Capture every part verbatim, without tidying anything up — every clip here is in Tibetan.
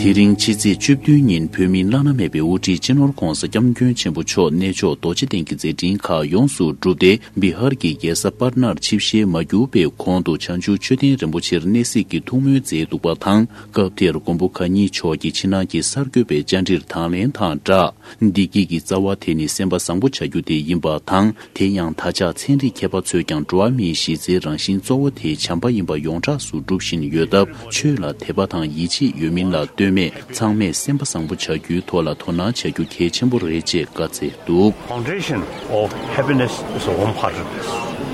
དེ་རིང་ཕྱི་ཚེས་བཅུ་བདུན་ཉིན་བོད་མིའི་བླ་ན་མེད་པའི་དབུ་ཁྲིད་སྤྱི་ནོར་༧གོང་ས་༧སྐྱབས་མགོན་ཆེན་པོ་མཆོག་གནས་མཆོག་རྡོ་རྗེ་གདན་གྱི་མཛད་འཕྲིན་ཁག་ཡོངས་སུ་གྲུབ་སྟེ། བི་ཧར་གྱི་རྒྱལ་ས་པཊ་ནར་ཆིབས་ཞལ་མ་བསྒྱུར་བའི་གོང་དུ་བྱང་ཆུབ་མཆོད་རྟེན་རིན་པོ་ཆེར་གནས་གཟིགས་ཀྱི་ཐུགས་སྨོན་མཛད་འདུག་པ་དང་། སྐབས་དེར་མགོན་པོ་གང་ཉིད་མཆོག་གིས་ཕྱི་ནང་གི་གསར་འགོད་པའི་བཅར་འདྲིར་དང་ལེན་དང་སྦྲགས། བདེ་སྐྱིད་ཀྱི་རྩ་བ་དེ་ནི་སེམས་པ་བཟང་པོ་བྱ་རྒྱུ་དེ་ཡིན་པ་དང་། དེ་ཡང་ད་ཆ་ཚན་རིག་མཁས་པ་ཚོས་ཀྱང་འགྲོ་བ་མིའི་གཞི་རྩའི་རང་བཞིན་གཙོ་བོ་དེ་བྱམས་པ་ཡིན་པ་ཡོངས་གྲགས་སུ་སྒྲུབ་བཞིན་ཡོད་སྟབས། ཆོས་ལ་དད་པ་དང་ཡིད་ཆེས་ཡོད་མིན་ལ་ལྟོས་མེད། ཚང་མས་སེམས་པ་བཟང་པོ་བྱ་རྒྱུའི་ཐོག་ལ་དོ་སྣང་བྱ་རྒྱུ་གལ་ཆེན་པོ་རེད་ཅེས་བཀའ་སྩལ་འདུག། Foundation of happiness is warm-heartedness.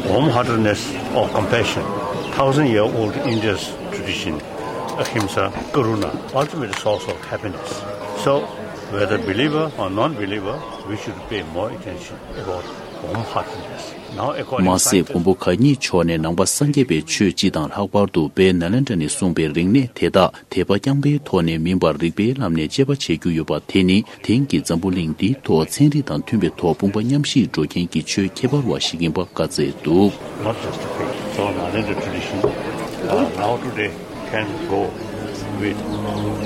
Warm-heartedness of compassion. Thousand-year-old India's tradition, ahimsa, karuna, ultimate source of happiness. So, whether believer or non-believer, we should pay more attention about warm-heartedness. Now, according མ་ཟད། མགོན་པོ་གང་ཉིད་མཆོག་ནས་ནང་པ་སངས་རྒྱས་པའི་ཆོས་སྤྱི་དང་ལྷག་པར་དུ་དཔལ་ནཱ་ལེནྡྲ་ནས་གསུངས་པའི་རིག་གནས་དེ་དག་དད་པ་རྐྱང་པའི་ཐོག་ནས་མིན་པར་རིག་པའི་ལམ་ནས་དཔྱད་པ་བྱེད་རྒྱུ་ཡོད་པ་དེ་ནི། དེང་གི་འཛམ་བུ་གླིང་འདིའི་ཐོག་ཚན་རིག་དང་མཐུན་པའི་ཐོག་དཔུང་པ་མཉམ་གཤིབ་འགྲོ་མཁན་གྱི་ཆོས་ཁྱད་པར་བ་ཞིག་ཡིན་པ་བཀའ་སྩལ་འདུག། Not just the faith. So, Nalanda tradition, uh, now today can go with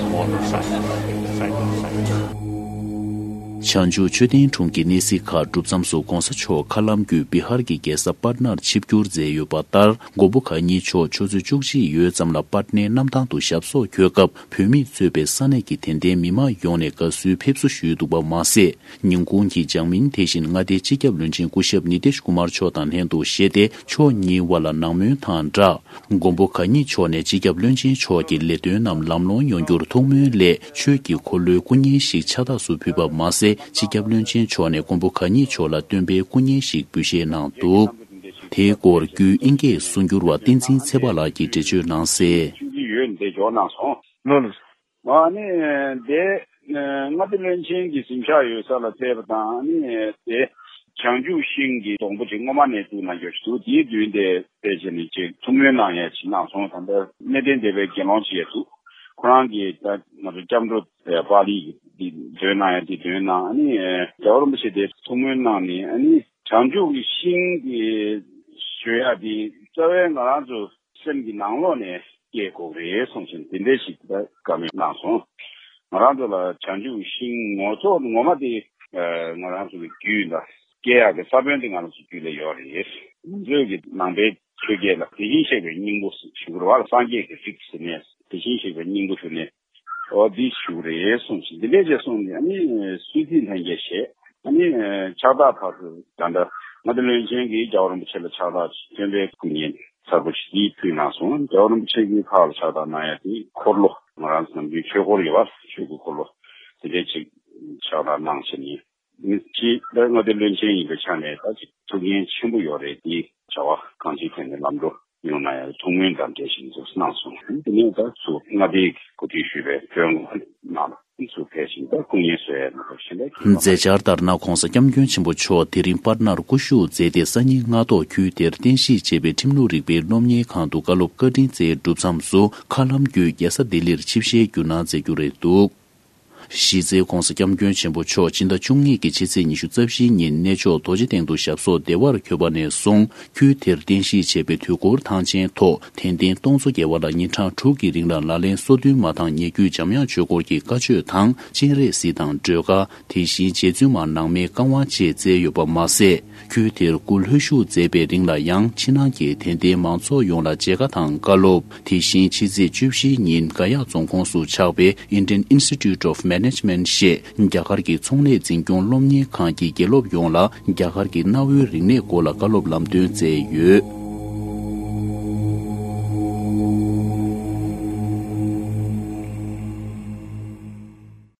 modern science, side by side. བྱང་ཆུབ་མཆོད་རྟེན་དྲུང་གི་གནས་གཟིགས་ཁག་གྲུབ་མཚམས་སུ་༧གོང་ས་མཆོག་མཁའ་ལམ་བརྒྱུད་བི་ཧར་གྱི་རྒྱལ་ས་པཊ་ནར་ཆིབས་བསྒྱུར་མཛད་ཡོད་པ་ལྟར། མགོན་པོ་གང་ཉིད་མཆོག་ཆུ་ཚོད་བཅུ་གཅིག་ཡོལ་ཙམ་ལ་པཊ་ནའི་གནམ་ཐང་དུ་ཞབས་སོར་འཁོད་སྐབས། བོད་མིས་གཙོས་པའི་ས་གནས་ཀྱི་དད་ལྡན་མི་མང་ཡོངས་ནས་དགའ་བསུའི་ཕེབས་བསུ་ཞུས་འདུག་པ་མ་ཟད། ཉིན་གུང་གི་ལྗང་མིན་དེ་བཞིན་མངའ་སྡེའི་སྤྱི་ཁྱབ་བློན་ཆེན་སྐུ་ཞབས་ནི་ཏེཤ་ཀུ་མར་མཆོག་དང་ལྷན་དུ་བཞེས་ཏེ། ཕྱོགས་གཉིས་དབར་ལ་ནང་མོལ་དང་སྦྲགས། མགོན་པོ་གང་ཉིད་མཆོག་ནས་སྤྱི་ཁྱབ་བློན་ཆེན་མཆོག་གི་ལས་དོན་རྣམས་ལམ་ལྷོང་ཡོང་རྒྱུར་ཐུགས་སྨོན་སླད། ཆོས་ཀྱི་འཁོར་ལོའི་སྐུ་བརྙན་ཞིག་ཕྱག་རྟགས་སུ་ཕུལ་བ་མ་ཟད། སྤྱི་ཁྱབ་བློན་ཆེན་མཆོག་ནས་མགོན་པོ་གང་ཉིད་མཆོག་ལ་སྟོན་པའི་སྐུ་བརྙན་ཞིག་འབུལ་བཞེས་གནང་འདུག། དེའི་སྐོར་བརྒྱུད་དབྱིན་སྐད་གསུང་སྒྱུར་བ་བསྟན་འཛིན་ཚེ་དཔག་ལགས་ཀྱིས་འགྲེལ་བརྗོད་གནང་གསལ། ཆུང་ཆུང་ཡོད་འདི་འཇོག་གནང་སོང་། ལོ་ལོ། ཨ་ནི་དེ་མངའ་སྡེ་བློན་ཆེན་གྱི་གཟིམ་ཤག་ཡོད་ས་ལ་ཕེབས་པ་དང་། ཨ་ནི་དེ་བྱང་ཆུབ་ཤིང་གི་སྡོང་པོ་ཅིག་སྔོན་མ་ནས་བཙུགས་གནང་རྒྱུ་ཞིག་འདུག། དེའི་མདུན་དེ་ཕེབས་བྱས་ནས་ཅིག་ཐུགས་སྨོན་གནང་ཡས་ཅིག་གནང་སོང་། ད་ལྟ་གནས་བརྟན་སྡེ་པའི་དགེ་སློང་ཅིག་ཡང་འདུག། ཁོ་རང་གིས་ད་ང་ཚོ་སྐྱབས་འགྲོ་པཱ་ལི་གི་འདི་འདོན་གནང་ཡས་འདི་འདོན་གནང་། ཨ་ནི་རྒྱལ་བ་རིན་པོ་ཆེ་དེ་ཐུགས་སྨོན་གནང་ནས། ཨ་ནི་བྱང་ཆུབ་ཀྱི་ཤིང་གི་ཞུ་ཡ་དེ་རྩ་བའི་ང་རང་ཚོ་སེམས་ཀྱི་ནང་ལོགས་ནས་སྐྱེ་དགོས་རེད་གསུངས་བཞིན་དེ་འདྲའི་ཞིག་ད་བཀའ་མོལ་གནང་སོང་། ང་རང་ཚོ་ལ་བྱང་ཆུབ་ཤིང་ངོ་ཚོགས་ངོ་མ་དེ་ཨ་ང་རང་ཚོ་གི་རྒྱུད་ལ་སྐྱེ་ཡག་གི་ས་བོན་དེ་ང་རང་ཚོ་རྒྱུད་ལ་ཡོད་རེད། ང་ཚོའི་གི་ནང་པའི་ཆོས་བརྒྱད་ལ་དེ་བཞིན་གཤེགས་པའི་སྙིང་པོ་ཞུ་དགོས་རེད་བ། སངས་རྒྱས་ཀྱི་རིགས་ཟེར་ནས་དེ་བཞིན་གཤེགས་པའི་སྙིང་པོ་ཞུ་ནས། འོ་འདི་ཞུ་རེད་གསུངས་ཤིང་། འདི་འདྲས་བྱས་གསུངས་ནས། ཨ་ནི་སུད་སི་ལྷན་རྒྱས་བཞེས། ཨ་ནི་ཕྱག་རྟགས་ཕར་ཚུར་ད་ལྟ་མངའ་སྡེ་བློན་ཆེན་གྱིས་རྒྱལ་བ་རིན་པོ་ཆེ་ལ་ཕྱག་རྟགས་སྟོན་པའི་སྐུ་བརྙན་གསར་པ་ཞིག་ཕུལ་གནང་སོང་། རྒྱལ་བ་རིན་པོ་ཆེ་གིས་ཕར་ལ་ཕྱག་རྟགས་གནང་ཡ་དེ་འཁོར་ལོ། ང་རང་ཚོ་ནམ་རྒྱུན་ཆོས་འཁོར་ཡོད་པ། ཆོས་ཀྱི་འཁོར་ལོ་དེ་འདྲས་ཅིག་ཕྱག་རྟགས་གནང་བྱས་ནས། ཅིག་ད་མངའ་སྡེ་བློན་ཆེན་ཡིན་པའི་ཆ་ནས་ད་ཅིག་ཐུགས་འགན་ཆེན་པོ་ཡོད་རེད། དེ་བྱ་བ་གང་ཅིའི་ཐད་ནས་ལམ་འགྲོ་ཡོང་ན་ཡང་ཐུགས་སྨོན་དང་འབྲེལ་བཞིན་ཚུར་གནང་སོང་། དེ་ནས་ད་ཚུར་མངའ་སྡེའི་གོ་སྒྲིག་ཞུས་པའི་བོད་ངོས་ནང་ལ་ཚུར་ཕེབས་ཤིང་ད་སྐུ་ངལ་གསོ་ཡས་ནང་ལ་ཕྱིན་པའི་མཛད་འཆར་ལྟར་ན། ྋགོང་ས་ྋསྐྱབས་མགོན་ཆེན་པོ་མཆོག་དེ་རིང་པཊ་ནར་སྐུ་བཞུགས་མཛད་དེ། སང་ཉིན་སྔ་ཐོག་ཁུལ་དེར་རྟེན་གཞི་བྱས་པའི་ཁྲིམས་ལུགས་རིག་པའི་སློབ་གཉེར་ཁང་དུ་བཀའ་སློབ་བཀའ་དྲིན་སྩལ་གྲུབ་མཚམས་སུ། མཁའ་ལམ་བརྒྱུད་རྒྱལ་ས་ལྡི་ལིར་ཆིབས་ཞལ་བསྒྱུར་གནང་མཛད་རྒྱུ་རེད་འདུག། གཞི་རྩའི་ྋགོང་ས་ྋསྐྱབས་མགོན་ཆེན་པོ་མཆོག་ཕྱི་ཟླ་བཅུ་གཉིས་ཀྱི་ཕྱི་ཚེས་ཉི་ཤུ་རྩ་བཞིའི་ཉིན་གནས་མཆོག་རྡོ་རྗེ་གདན་དུ་ཞབས་སོར་བདེ་བར་འཁོད་པ་ནས་བཟུང་། ཁུལ་དེར་རྟེན་གཞི་བྱས་པའི་དུས་འཁོར་ཐང་ཆེན་ཐོག་དད་ལྡན་སྟོང་ཚོ་བརྒལ་བ་ལ་ཉིན་གྲངས་དྲུག་གི་རིང་ལ་ལག་ལེན་སོ་བདུན་མ་དང་ཉེ་བརྒྱུད་འཇམ་དབྱངས་ཆོས་སྐོར་གྱི་བཀའ་ཆོས་དང་། སྤྱན་རས་གཟིགས་དང་སྒྲོལ་དཀར། དེ་བཞིན་རྗེ་བཙུན་མ་ནང་མའི་བཀའ་དབང་བཅས་སྩལ་ཡོད་པ་མ་ཟད། ཁུལ་དེར་སྐུ་ལྷོད་བཞུགས་མཛད་པའི་རིང་ལ་ཡང་ཕྱི་ནང་གི་དད་ལྡན་མང་ཚོགས་ཡོངས་ལ་མཇལ་ཁ་དང་བཀའ་སློབ། དེ་བཞིན་ཕྱི་ཚེས་བཅུ་བཞིའི་ཉིན་ག་ཡ་རྫོང་ཁོངས་སུ་ཆགས་པའི་Indian Institute of Management ཞེས་རྒྱ་གར་གྱི་ཚོང་ལས་འཛིན་སྐྱོང་སློབ་གཉེར་ཁང་གི་དགེ་སློབ་ཡོངས་ལ་རྒྱ་གར་གྱི་གནའ་བོའི་རིག་གནས་སྐོར་ལ་བཀའ་སློབ་ལམ་སྟོན་སྩལ་ཡོད།